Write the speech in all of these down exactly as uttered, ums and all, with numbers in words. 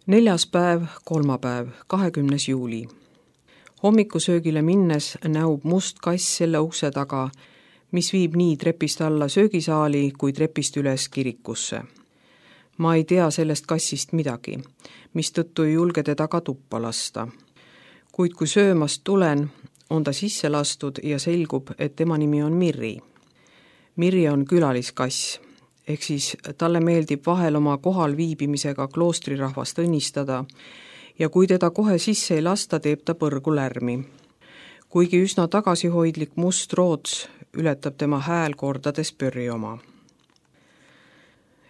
Neljas päev, kolmapäev, kahekümnes juuli. Hommikusöögile minnes näub must kass selle ukse taga, mis viib nii trepist alla söögisaali kui trepist üles kirikusse. Ma ei tea sellest kassist midagi, mistõttu ei julge teda ka tuppa lasta. Kuid kui söömast tulen, on ta sisse lastud ja selgub, et tema nimi on Mirri. Mirri on külaliskass, ehk siis talle meeldib vahel oma kohal viibimisega kloostrirahvast õnnistada ja kui teda kohe sisse ei lasta, teeb ta põrgu lärmi. Kuigi üsna tagasihoidlik must roots ületab tema hääl kordades pörri oma.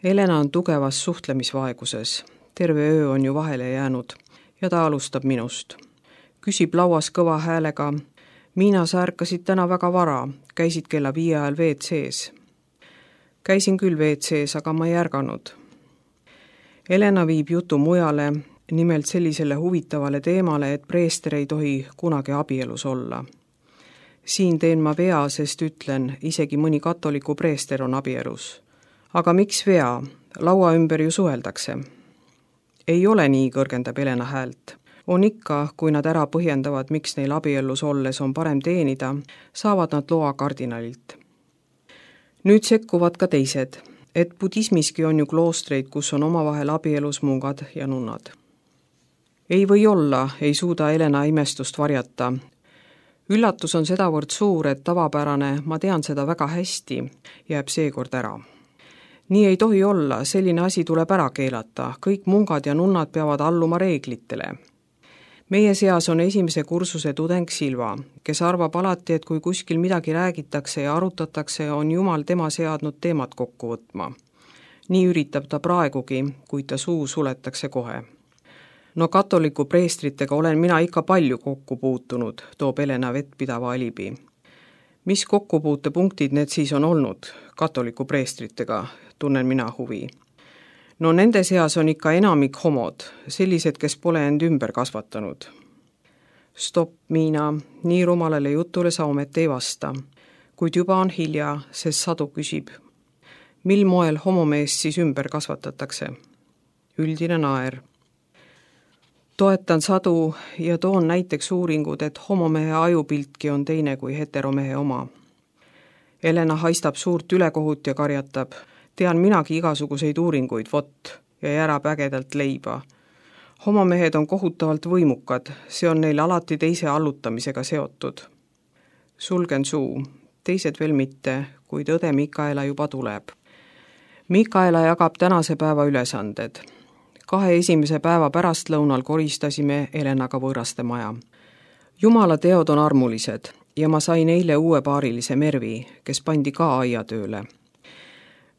Elena on tugevas suhtlemisvaeguses, terve öö on ju vahele jäänud ja ta alustab minust. Küsib lauas kõva häälega: Miina, sa ärkasid täna väga vara, käisid kella viie ajal V C-s. Käisin küll V C-s, aga ma ei ärganud. Elena viib jutu mujale, nimelt sellisele huvitavale teemale, et preester ei tohi kunagi abielus olla. Siin teen ma vea, sest ütlen, isegi mõni katoliku preester on abielus. Aga miks vea? Laua ümber ju suheldakse. Ei ole nii, kõrgendab Elena häält. On ikka, kui nad ära põhjendavad, miks neil abiellus olles on parem teenida, saavad nad loa kardinalilt. Nüüd sekkuvad ka teised, et budismiski on ju kloostreid, kus on omavahel abielus mungad ja nunnad. Ei või olla, ei suuda Elena imestust varjata. Üllatus on sedavõrd suur, et tavapärane, ma tean seda väga hästi, jääb seekord ära. Nii ei tohi olla, selline asi tuleb ära keelata, kõik mungad ja nunnad peavad alluma reeglitele. Meie seas on esimese kursuse tudeng Silva, kes arvab alati, et kui kuskil midagi räägitakse ja arutatakse, on Jumal tema seadnud teemat kokku võtma. Nii üritab ta praegugi, kuid ta suu suletakse kohe. No katoliku preestritega olen mina ikka palju kokku puutunud, toob Elena vettpidava alibi. Mis kokkupuutepunktid need siis on olnud katoliku preestritega, tunnen mina huvi. No nende seas on ikka enamik homod, sellised, kes pole end ümber kasvatanud. Stopp, Miina, nii rumalale jutule sa ometi ei vasta. Kuid juba on hilja, sest Sadu küsib. Mil moel homomeest siis ümber kasvatatakse? Üldine naer. Toetan Sadu ja toon näiteks uuringud, et homomehe ajupiltki on teine kui heteromehe oma. Elena haistab suurt ülekohut ja karjatab. Tean minagi igasuguseid uuringuid, vot, ja järab ägedalt leiba. Homomehed on kohutavalt võimukad, see on neil alati teise allutamisega seotud. Sulgen suu, teised veel mitte, kuid õde Mikaela juba tuleb. Mikaela jagab tänase päeva ülesanded. Kahe esimese päeva pärastlõunal koristasime Elenaga võõraste maja. Jumala teod on armulised ja ma sain eile uue paarilise Mervi, kes pandi ka aiatööle.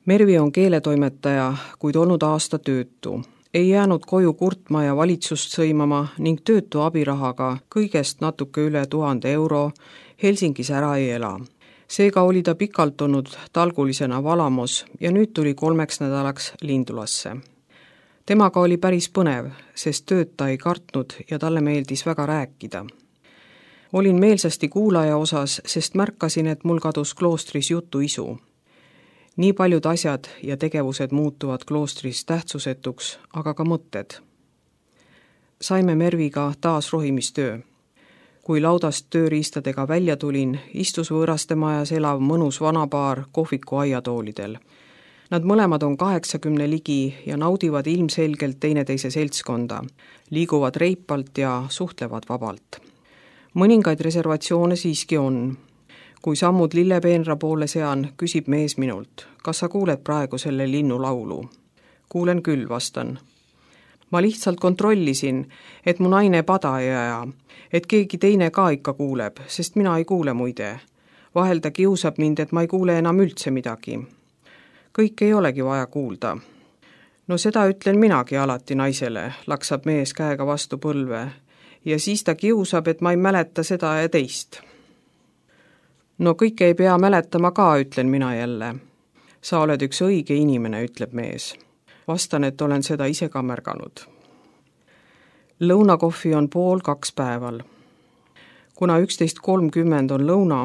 Mervi on keeletoimetaja, kuid olnud aasta töötu. Ei jäänud koju kurtma ja valitsust sõimama ning töötu abirahaga kõigest natuke üle tuhande euro Helsingis ära ei ela. Seega oli ta pikalt olnud talgulisena Valamos ja nüüd tuli kolmeks nädalaks Lindulasse. Temaga oli päris põnev, sest tööd ta ei kartnud ja talle meeldis väga rääkida. Olin meelsasti kuulaja osas, sest märkasin, et mul kadus kloostris jutu isu. Nii paljud asjad ja tegevused muutuvad kloostris tähtsusetuks, aga ka mõtted. Saime Merviga taas rohimistöö. Kui laudast tööriistadega välja tulin, istus võõraste majas elav mõnus vanapaar kohviku aiatoolidel. Nad mõlemad on kaheksakümne ligi ja naudivad ilmselgelt teineteise seltskonda, liiguvad reipalt ja suhtlevad vabalt. Mõningaid reservatsioone siiski on. Kui sammud lillepeenra poole sean, küsib mees minult, kas sa kuuled praegu selle linnu laulu? Kuulen küll, vastan. Ma lihtsalt kontrollisin, et mu naine pada ei aja, et keegi teine ka ikka kuuleb, sest mina ei kuule muide. Vahel ta kiusab mind, et ma ei kuule enam üldse midagi. Kõik ei olegi vaja kuulda. No seda ütlen minagi alati naisele, laksab mees käega vastu põlve, ja siis ta kiusab, et ma ei mäleta seda ja teist. No kõike ei pea mäletama ka, ütlen mina jälle. Sa oled üks õige inimene, ütleb mees. Vastan, et olen seda ise ka märganud. Lõunakohvi on pool kaks päeval. Kuna üksteist kolmkümmend on lõuna,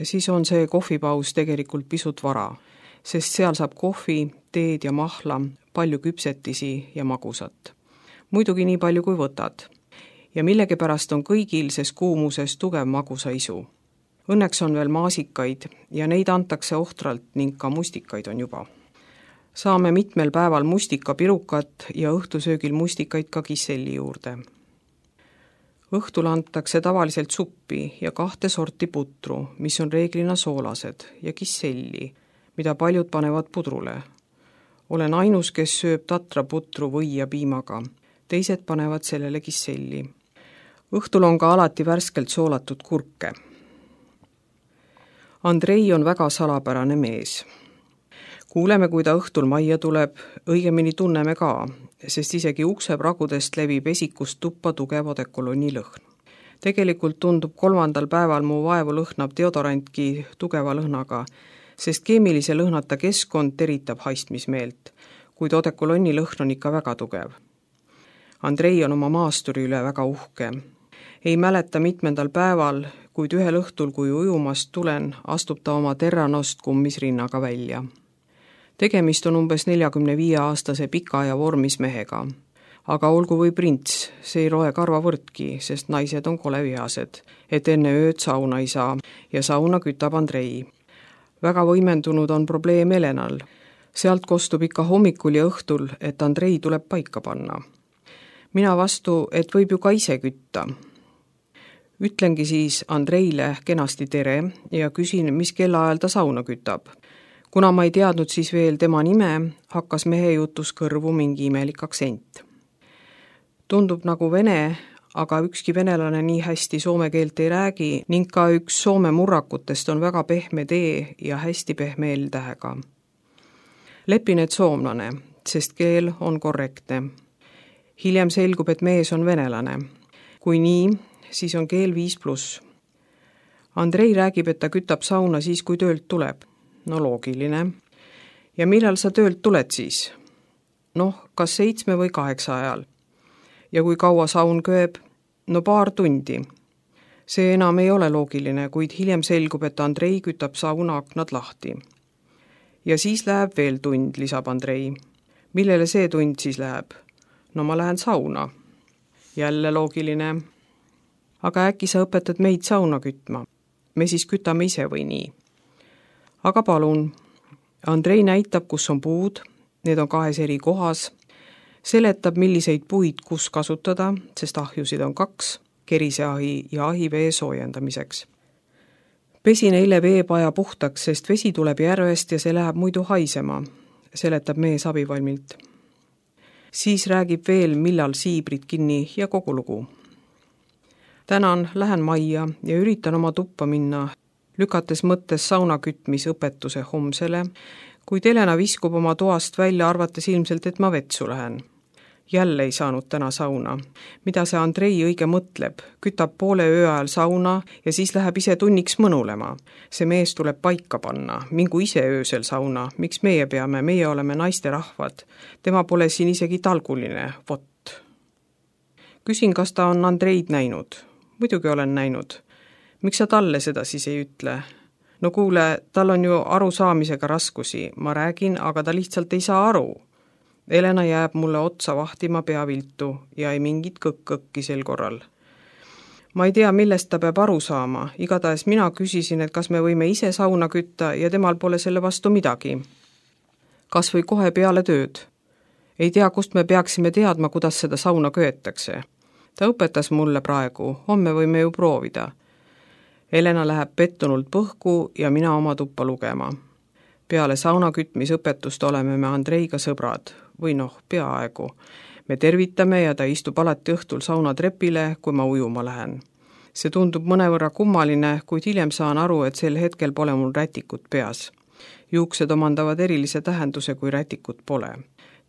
siis on see kohvipaus tegelikult pisut vara, sest seal saab kohvi, teed ja mahla, palju küpsetisi ja magusat. muidugi nii palju kui võtad. Ja millegipärast on kõigil ses kuumuses tugev magusaisu. Õnneks on veel maasikaid ja neid antakse ohtralt ning ka mustikaid on juba. Saame mitmel päeval mustikapirukat ja õhtusöögil mustikaid ka kisselli juurde. Õhtul antakse tavaliselt suppi ja kahte sorti putru, mis on reeglina soolased, ja kisselli, mida paljud panevad pudrule. Olen ainus, kes sööb tatraputru või ja piimaga. Teised panevad sellele kisselli. Õhtul on ka alati värskelt soolatud kurke. Andrei on väga salapärane mees. Kuuleme, kui ta õhtul majja tuleb, õigemini tunneme ka, sest isegi uksepragudest levib esikust tuppa tugev odekoloni lõhn. Tegelikult tundub kolmandal päeval mu vaevu lõhnab deodorantki tugeva lõhnaga, sest keemilise lõhnata keskkond teritab haistmismeelt, kuid odekoloni lõhn on ikka väga tugev. Andrei on oma maasturi üle väga uhke. Ei mäleta mitmendal päeval, kuid ühel õhtul, kui ujumast tulen, astub ta oma terranost kummis rinnaga välja. Tegemist on umbes neljakümne viie aastase pika ja vormis mehega. Aga olgu või prints, see ei roe karvavõrdki, sest naised on kole vihased, et enne ööd sauna ei saa ja sauna kütab Andrei. Väga võimendunud on probleem Elenal. Sealt kostub ikka hommikul ja õhtul, et Andrei tuleb paika panna. Mina vastu, et võib ju ka ise kütta. Ütlengi siis Andreile kenasti tere ja küsin, mis kellaajal ta sauna kütab. Kuna ma ei teadnud siis veel tema nime, hakkas mehe jutus kõrvu mingi imelik aktsent. Tundub nagu vene, aga ükski venelane nii hästi soome keelt ei räägi ning ka üks soome murrakutest on väga pehme tee ja hästi pehme L-tähega. Lepin, et soomlane, sest keel on korrektne. Hiljem selgub, et mees on venelane. Kui nii, siis on keel viis pluss. Andrei räägib, et ta kütab sauna siis, kui töölt tuleb. No loogiline. Ja millal sa töölt tuled siis? Noh, kas seitsme või kaheksa ajal. Ja kui kaua saun kööb? No paar tundi. See enam ei ole loogiline, kuid hiljem selgub, et Andrei kütab sauna aknad lahti. Ja siis läheb veel tund, lisab Andrei. Millele see tund siis läheb? No ma lähen sauna. Jälle loogiline. Aga äkki sa õpetad meid sauna kütma? Me siis kütame ise või nii? Aga palun. Andrei näitab, kus on puud, need on kahes eri kohas, seletab, milliseid puid kus kasutada, sest ahjusid on kaks, keriseahi ja ahivee soojendamiseks. Pesin eile veepaja puhtaks, sest vesi tuleb järvest ja see läheb muidu haisema, seletab mees abivalmilt. Siis räägib veel, millal siibrid kinni ja kogu lugu. Tänan, lähen majja ja üritan oma tuppa minna, lükates mõttes sauna kütmisõpetuse homsele, kuid Elena viskub oma toast välja, arvates ilmselt, et ma vetsu lähen. Jälle ei saanud täna sauna. Mida see Andrei õige mõtleb? Kütab poole öö ajal sauna ja siis läheb ise tunniks mõnulema. See mees tuleb paika panna. Mingu ise öösel sauna. Miks meie peame? Meie oleme naiste rahvad. Tema pole siin isegi talguline. Vot. Küsin, kas ta on Andreid näinud. Muidugi olen näinud. Miks sa talle seda siis ei ütle? No kuule, tal on ju arusaamisega raskusi. Ma räägin, aga ta lihtsalt ei saa aru. Elena jääb mulle otsa vahtima peaviltu ja ei mingit kõkk-kõkki sel korral. Ma ei tea, millest ta peab aru saama. Igatahes mina küsisin, et kas me võime ise sauna kütta ja temal pole selle vastu midagi. Kas või kohe peale tööd. Ei tea, kust me peaksime teadma, kuidas seda sauna köetakse. Ta õpetas mulle praegu, homme võime ju proovida. Elena läheb pettunult põhku ja mina oma tuppa lugema. Peale sauna kütmisõpetust oleme me Andreiga sõbrad, või noh, peaaegu. Me tervitame ja ta istub alati õhtul saunatrepile, kui ma ujuma lähen. See tundub mõnevõrra kummaline, kuid hiljem saan aru, et sel hetkel pole mul rätikut peas. Juuksed omandavad erilise tähenduse, kui rätikut pole.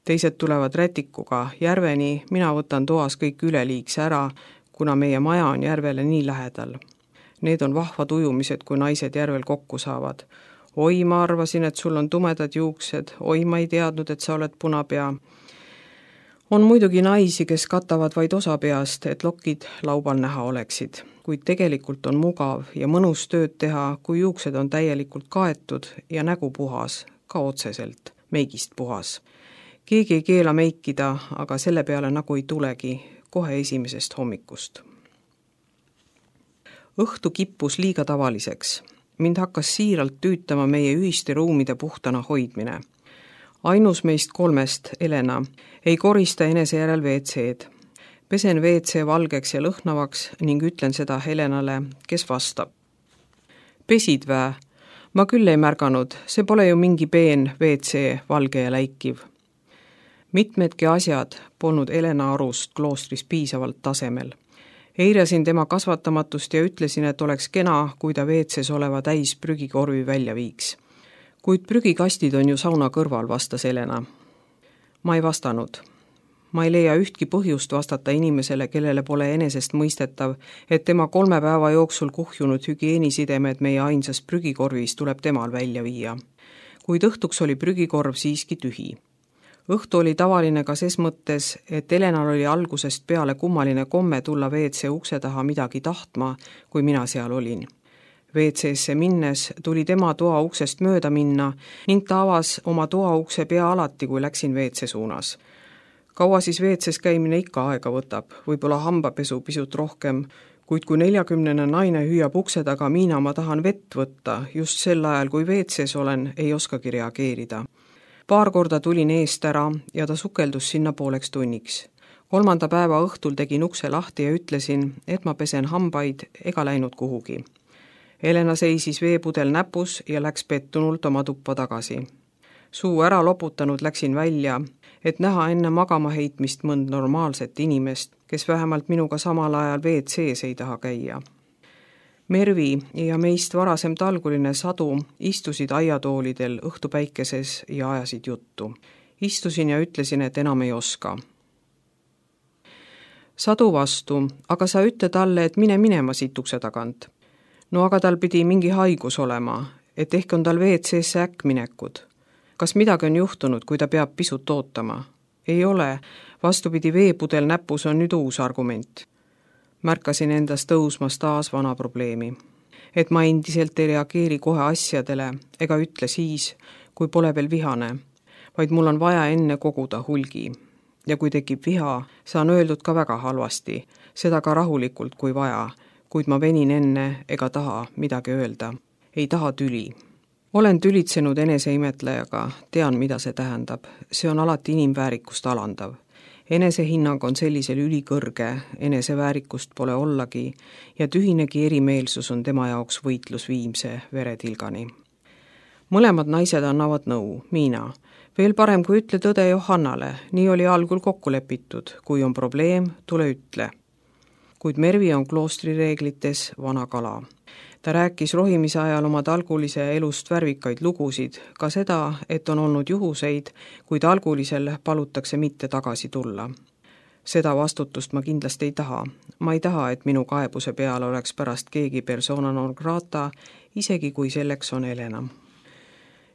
Teised tulevad rätikuga järveni, mina võtan toas kõik üleliigse ära, kuna meie maja on järvele nii lähedal. Need on vahvad ujumised, kui naised järvel kokku saavad. Oi, ma arvasin, et sul on tumedad juuksed. Oi, ma ei teadnud, et sa oled punapea. On muidugi naisi, kes katavad vaid osa peast, et lokid laubal näha oleksid. Kuid tegelikult on mugav ja mõnus tööd teha, kui juuksed on täielikult kaetud ja nägu puhas, ka otseselt, meigist puhas. keegi ei keela meikida, aga selle peale nagu ei tulegi, kohe esimesest hommikust. Õhtu kippus liiga tavaliseks. Mind hakkas siiralt tüütama meie ühiste ruumide puhtana hoidmine. Ainus meist kolmest, Elena, ei korista enese järel V C-d. Pesen V C valgeks ja lõhnavaks ning ütlen seda Helenale, kes vastab. Pesid vä? Ma küll ei märganud, see pole ju mingi peen V C, valge ja läikiv. Mitmedki asjad polnud Elena arust kloostris piisavalt tasemel. Eirasin tema kasvatamatust ja ütlesin, et oleks kena, kui ta V C-s oleva täis prügikorvi välja viiks. Kuid prügikastid on ju sauna kõrval, vastas Elena. Ma ei vastanud. Ma ei leia ühtki põhjust vastata inimesele, kellele pole enesest mõistetav, et tema kolme päeva jooksul kuhjunud hügieenisidemed meie ainsas prügikorvis tuleb temal välja viia. Kuid õhtuks oli prügikorv siiski tühi. Õhtu oli tavaline ka ses mõttes, et Elenal oli algusest peale kummaline komme tulla V C ukse taha midagi tahtma, kui mina seal olin. V C-sse minnes tuli tema toa uksest mööda minna ning ta avas oma toa ukse pea alati, kui läksin V C suunas. Kaua siis V C-s käimine ikka aega võtab, võib-olla hambapesu pisut rohkem, kuid kui neljakümnene naine hüüab ukse taga, Miina, ma tahan vett võtta, just sel ajal, kui V C-s olen, ei oskagi reageerida. Paar korda tulin eest ära ja ta sukeldus sinna pooleks tunniks. Kolmanda päeva õhtul tegin ukse lahti ja ütlesin, et ma pesen hambaid ega läinud kuhugi. Elena seisis veepudel näpus ja läks pettunult oma tuppa tagasi. Suu ära loputanud läksin välja, et näha enne magama heitmist mõnd normaalset inimest, kes vähemalt minuga samal ajal V C-s ei taha käia. Mervi ja meist varasem talguline Sadu istusid aiatoolidel õhtupäikeses ja ajasid juttu. Istusin ja ütlesin, et enam ei oska. Sadu vastu, aga sa ütle talle, et mine minema siit ukse tagant. No aga tal pidi mingi haigus olema, et ehk on tal V C-sse äkkminekud. Kas midagi on juhtunud, kui ta peab pisut ootama? Ei ole, vastupidi veepudel näpus on nüüd uus argument. Märkasin endas tõusmas taas vana probleemi. Et ma endiselt ei reageeri kohe asjadele ega ütle siis, kui pole veel vihane, vaid mul on vaja enne koguda hulgi. Ja kui tekib viha, saan öeldud ka väga halvasti, seda ka rahulikult kui vaja, kuid ma venin enne ega taha midagi öelda. Ei taha tüli. Olen tülitsenud eneseimetlejaga, tean, mida see tähendab. See on alati inimväärikust alandav. Enesehinnang on sellisel ülikõrge, eneseväärikust pole ollagi ja tühinegi erimeelsus on tema jaoks võitlus viimse veretilgani. Mõlemad naised annavad nõu, Miina. Veel parem, kui ütle tõde Johannale, nii oli algul kokku lepitud. Kui on probleem, tule ütle. Kuid Mervi on kloostrireeglites vana kala. Ta rääkis rohimise ajal oma talgulise elust värvikaid lugusid, ka seda, et on olnud juhuseid, kui talgulisel palutakse mitte tagasi tulla. Seda vastutust ma kindlasti ei taha. Ma ei taha, et minu kaebuse peal oleks pärast keegi persona non grata, isegi kui selleks on Elena.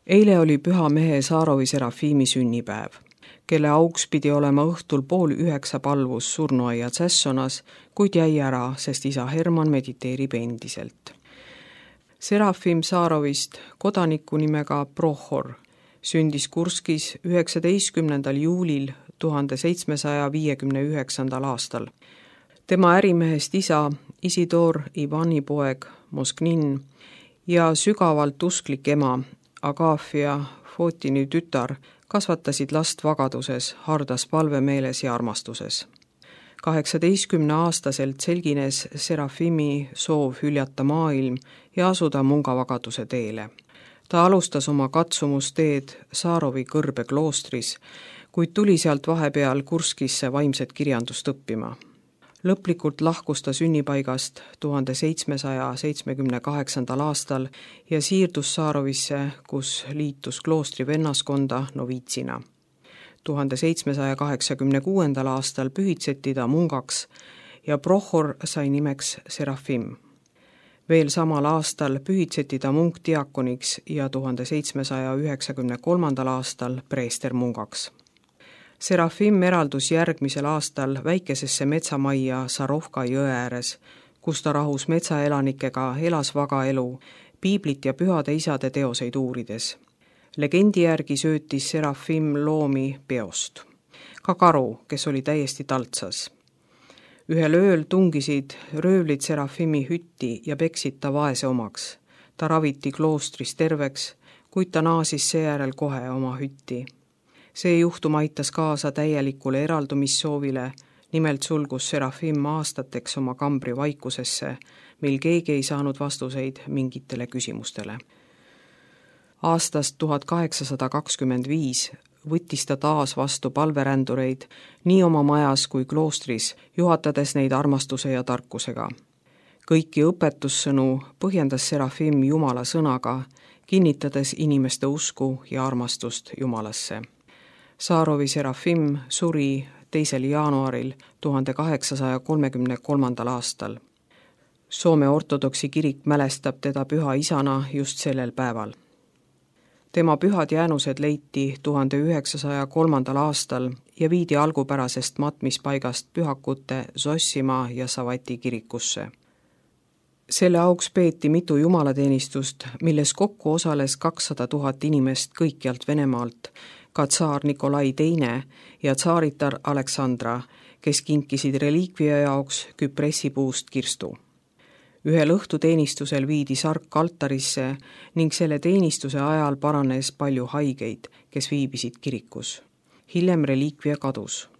Eile oli püha mehe Saarovi Serafimi sünnipäev, kelle auks pidi olema õhtul pool üheksa palvus surnuaia Tsessonas, kuid jäi ära, sest isa Herman mediteerib endiselt. Serafim Saarovist, kodaniku nimega Prohor, sündis Kurskis üheksateistkümnendal juulil tuhande seitsmesaja viiekümne üheksandal aastal. Tema ärimehest isa, Isidor Ivani poeg Mosknin ja sügavalt usklik ema, Agafia Fotini tütar, kasvatasid last vagaduses, hardas palvemeeles ja armastuses. kaheksateistkümne aastaselt selgines Serafimi soov hüljata maailm ja asuda mungavagaduse teele. Ta alustas oma katsumusteed Saarovi kõrbe kloostris, kuid tuli sealt vahepeal Kurskisse vaimset kirjandust õppima. Lõplikult lahkus ta sünnipaigast tuhande seitsmesaja seitsmekümne kaheksandal aastal ja siirdus Saarovisse, kus liitus kloostri vennaskonda noviitsina. tuhande seitsmesaja kaheksakümne kuuendal aastal pühitseti ta mungaks ja Prohor sai nimeks Serafim. Veel samal aastal pühitseti ta munkdiakoniks ja tuhande seitsmesaja üheksakümne kolmandal aastal preestermungaks. Serafim eraldus järgmisel aastal väikesesse metsamajja Sarovka jõe ääres, kus ta rahus metsaelanikega elas vaga elu, piiblit ja pühade isade teoseid uurides. Legendi järgi söötis Serafim loomi peost. Ka karu, kes oli täiesti taltsas. Ühel ööl tungisid röövlid Serafimi hütti ja peksid ta vaese omaks. Ta raviti kloostris terveks, kuid ta naasis seejärel kohe oma hütti. See juhtum aitas kaasa täielikule eraldumissoovile, nimelt sulgus Serafim aastateks oma kambri vaikusesse, mil keegi ei saanud vastuseid mingitele küsimustele. Aastast tuhat kaheksasada kakskümmend viis võttis ta taas vastu palverändureid nii oma majas kui kloostris, juhatades neid armastuse ja tarkusega. Kõiki õpetussõnu põhjendas Serafim Jumala sõnaga, kinnitades inimeste usku ja armastust Jumalasse. Saarovi Serafim suri teisel jaanuaril tuhande kaheksasaja kolmekümne kolmandal aastal. Soome ortodoksi kirik mälestab teda püha isana just sellel päeval. Tema pühad jäänused leiti tuhande üheksasaja kolmandal aastal ja viidi algupärasest matmispaigast pühakute Zossimaa ja Savati kirikusse. Selle auks peeti mitu jumalateenistust, milles kokku osales kakssada tuhat inimest kõikjalt Venemaalt, ka tsaar Nikolai teine ja tsaaritar Aleksandra, kes kinkisid reliikvia jaoks küpressipuust kirstu. Ühel õhtuteenistusel viidi sark altarisse ning selle teenistuse ajal paranes palju haigeid, kes viibisid kirikus. Hiljem reliikvia kadus.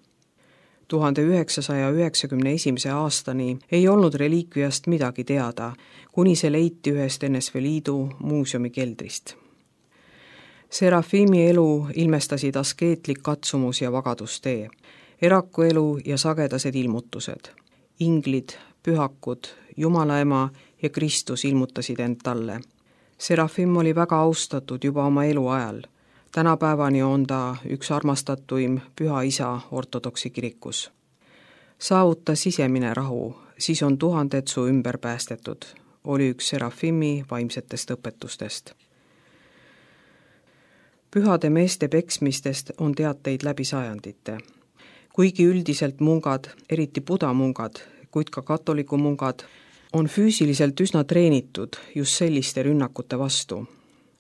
tuhande üheksasaja üheksakümne esimese aastani ei olnud reliikviast midagi teada, kuni see leiti ühest N S V Liidu muuseumi keldrist. Serafimi elu ilmestasid askeetlik katsumus ja vagadustee, erakuelu ja sagedased ilmutused. Inglid, pühakud, Jumala ema ja Kristus ilmutasid end talle. Serafim oli väga austatud juba oma eluajal. Tänapäevani on ta üks armastatuim püha isa ortodoksi kirikus. Saavuta sisemine rahu, siis on tuhanded su ümber päästetud, oli üks Serafimi vaimsetest õpetustest. Pühade meeste peksmistest on teateid läbi sajandite. Kuigi üldiselt mungad, eriti budamungad, kuid ka katoliku mungad, on füüsiliselt üsna treenitud just selliste rünnakute vastu.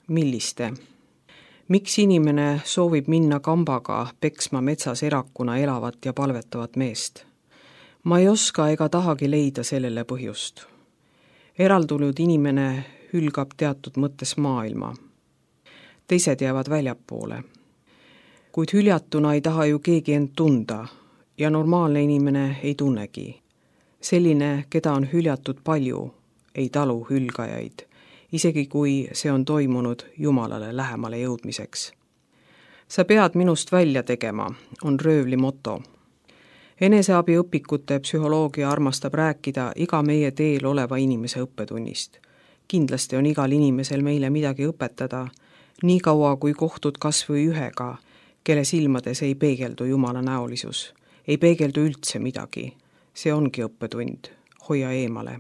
Milliste? Miks inimene soovib minna kambaga peksma metsas erakuna elavat ja palvetavat meest? Ma ei oska ega tahagi leida sellele põhjust. Eraldunud inimene hülgab teatud mõttes maailma. Teised jäävad väljapoole. Kuid hüljatuna ei taha ju keegi end tunda ja normaalne inimene ei tunnegi. Selline, keda on hüljatud palju, ei talu hülgajaid, isegi kui see on toimunud Jumalale lähemale jõudmiseks. Sa pead minust välja tegema, on röövli moto. Eneseabiõpikute psühholoogia armastab rääkida iga meie teel oleva inimese õppetunnist. Kindlasti on igal inimesel meile midagi õpetada, nii kaua kui kohtud kas või ühega, kelle silmades ei peegeldu Jumala näolisus, ei peegeldu üldse midagi. See ongi õppetund, hoia eemale.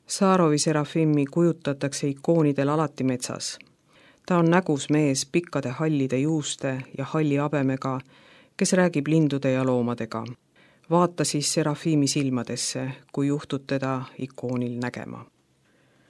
Saarovi Serafimi kujutatakse ikoonidel alati metsas. Ta on nägus mees pikkade hallide juuste ja halli habemega, kes räägib lindude ja loomadega. Vaata siis Serafimi silmadesse, kui juhtud teda ikoonil nägema.